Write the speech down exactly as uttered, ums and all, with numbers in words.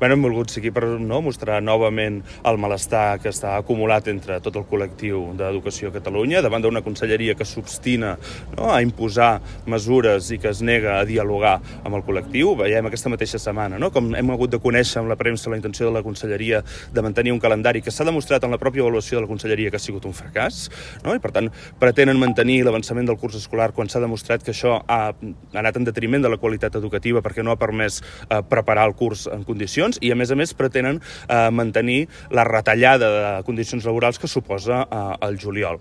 Bueno, hem volgut seguir per no, mostrar novament el malestar que està acumulat entre tot el col·lectiu d'Educació a Catalunya davant d'una conselleria que s'obstina no, a imposar mesures i que es nega a dialogar amb el col·lectiu. Veiem aquesta mateixa setmana no, com hem hagut de conèixer amb la premsa la intenció de la conselleria de mantenir un calendari que s'ha demostrat en la pròpia avaluació de la conselleria que ha sigut un fracàs no, i per tant pretenen mantenir l'avançament del curs escolar quan s'ha demostrat que això ha anat en detriment de la qualitat educativa perquè no ha permès eh, preparar el curs en condicions i, a més a més, pretenen eh, mantenir la retallada de condicions laborals que suposa eh, el juliol.